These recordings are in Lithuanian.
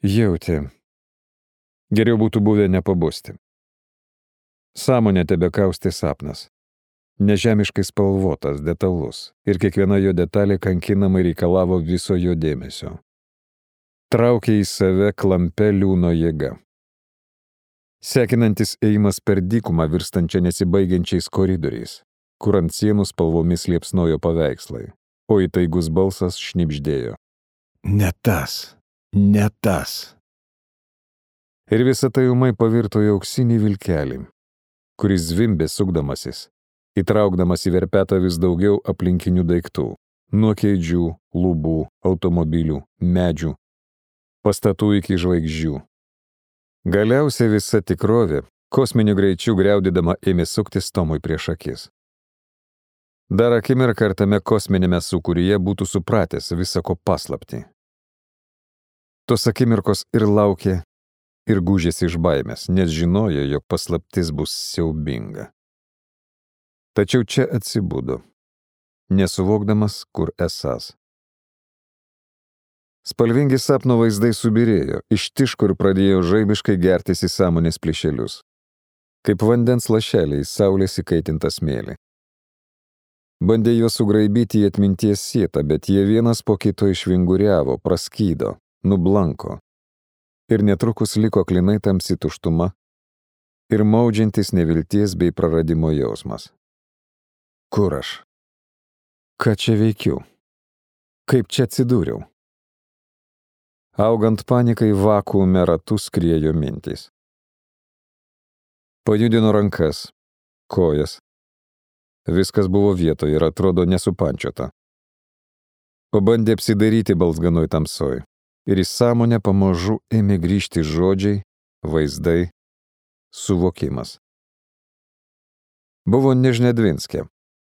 Jautė. Geriau būtų buvę nepabusti. Sąmonę tebekaustė sapnas. Nežemiškai spalvotas, detalus, ir kiekviena jo detalė kankinamai reikalavo viso jo dėmesio. Traukė į save klampia liūno jėga. Sekinantis ėjimas per dykumą virstančią nesibaigiančiais koridoriais, kur ant sienų spalvomis liepsnojo paveikslai, o įtaigus balsas šnibždėjo. Ne tas, ne tas. Ir visa tai ūmai pavirto į auksinį vilkelį, kuris zvimbė sukdamasis, įtraukdamas į verpetą vis daugiau aplinkinių daiktų, nuo kėdžių, lubų, automobilių, medžių, pastatų iki žvaigždžių. Galiausiai visa tikrovė, kosminiu greičiu griaudydama, ėmė suktis Tomui prieš akis. Dar akimirką tame kosminėme sūkuryje būtų supratęs visako paslaptį. Tos akimirkos ir laukė, ir gūžėsi iš baimės, nes žinojo, jog paslaptis bus siaubinga. Tačiau čia atsibudo, nesuvokdamas, kur esąs. Spalvingi sapno vaizdai subirėjo, ištiško ir pradėjo žaibiškai gertis į sąmonės plyšelius, kaip vandens lašeliai į saulės įkaitintą smėlį. Bandė juos sugraibyti į atminties sietą, bet jie vienas po kito išvinguriavo, praskydo, nublanko. Ir netrukus liko klinai tamsi tuštuma ir maudžiantis nevilties bei praradimo jausmas. Kur aš? Ką čia veikiu? Kaip čia atsidūriau? Augant panikai vakuume ratų skriejo mintys. Pajudino rankas, kojas. Viskas buvo vietoje ir atrodo nesupančiota. Pabandė apsidaryti balzganoj tamsoj. Ir į sąmonę pamažu ėmė grįžti žodžiai, vaizdai, suvokimas. Buvo Nežnedvinske,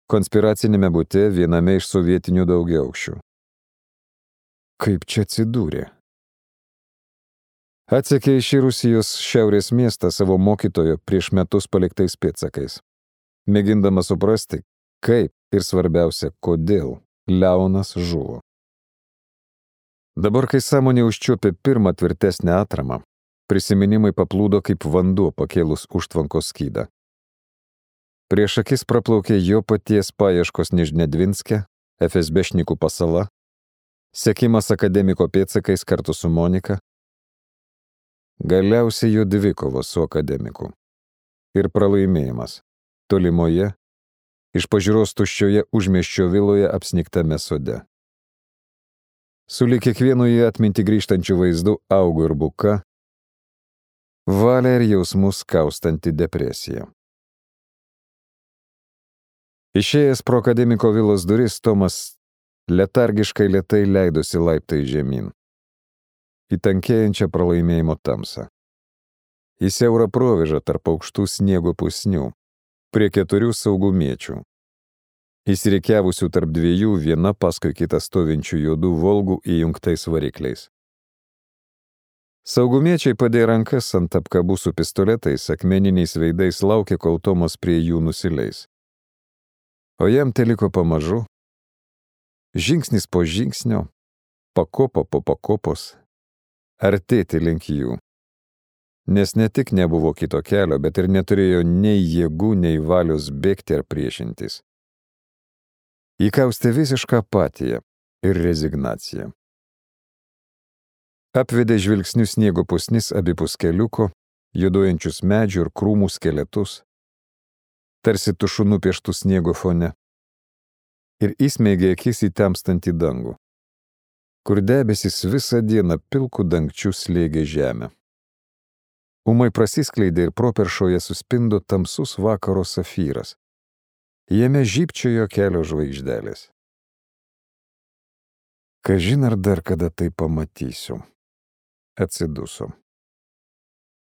konspiracinėme bute viename iš sovietinių daugiaaukščių. Kaip čia atsidūrė? Atsekė iš Rusijos šiaurės miestą savo mokytojo prieš metus paliktais pėdsakais, mėgindama suprasti, kaip ir svarbiausia, kodėl Leonas žuvo. Dabar, kai sąmonė užčiuopė pirmą tvirtesnę atramą, prisiminimai paplūdo kaip vanduo pakėlus užtvankos skydą. Prieš akis praplaukė jo paties paieškos Nežnedvinske, FSB-šnikų pasala, sekimas akademiko pėdsakais kartu su Monika, galiausiai jo dvikovos su akademiku ir pralaimėjimas tolimoje, iš pažiūros tuščioje užmiesčio viloje apsnigtame sode. Sulig kiekvienu į atmintį grįžtančių vaizdų augo ir buka, valia ir jausmus kaustanti depresija. Išėjęs pro akademiko vilos duris, Tomas letargiškai lėtai leidosi laiptai žemyn, į tankėjančią pralaimėjimo tamsą, į siaurą provėžą tarp aukštų sniego pusnių, prie 4 saugumiečių, įsirikiavusių tarp 2 viena paskui kitą stovinčių juodų Volgų įjungtais varikliais. Saugumiečiai padėjo rankas ant apkabų su pistoletais, akmeniniais veidais laukė, kol Tomas prie jų nusileis. O jam teliko pamažu, žingsnis po žingsnio, pakopa po pakopos, artėti link jų. Nes ne tik nebuvo kito kelio, bet ir neturėjo nei jėgų, nei valios bėgti ar priešintis. Įkaustė visišką apatiją ir rezignaciją. Apvedė žvilgsnių sniego pusnis abipus keliuko, juoduojančius medžių ir krūmų skeletus, tarsi tušu nupieštų sniego fone, ir įsmeigė akis į temstantį dangų, kur debesis visą dieną pilkų dangčių slėgė žemę. Ūmai prasiskleidė ir properšoje suspindo tamsus vakaro safyras. Jame žybčiojo kelios žvaigždelės. Kažin ar dar kada tai pamatysiu, atsiduso.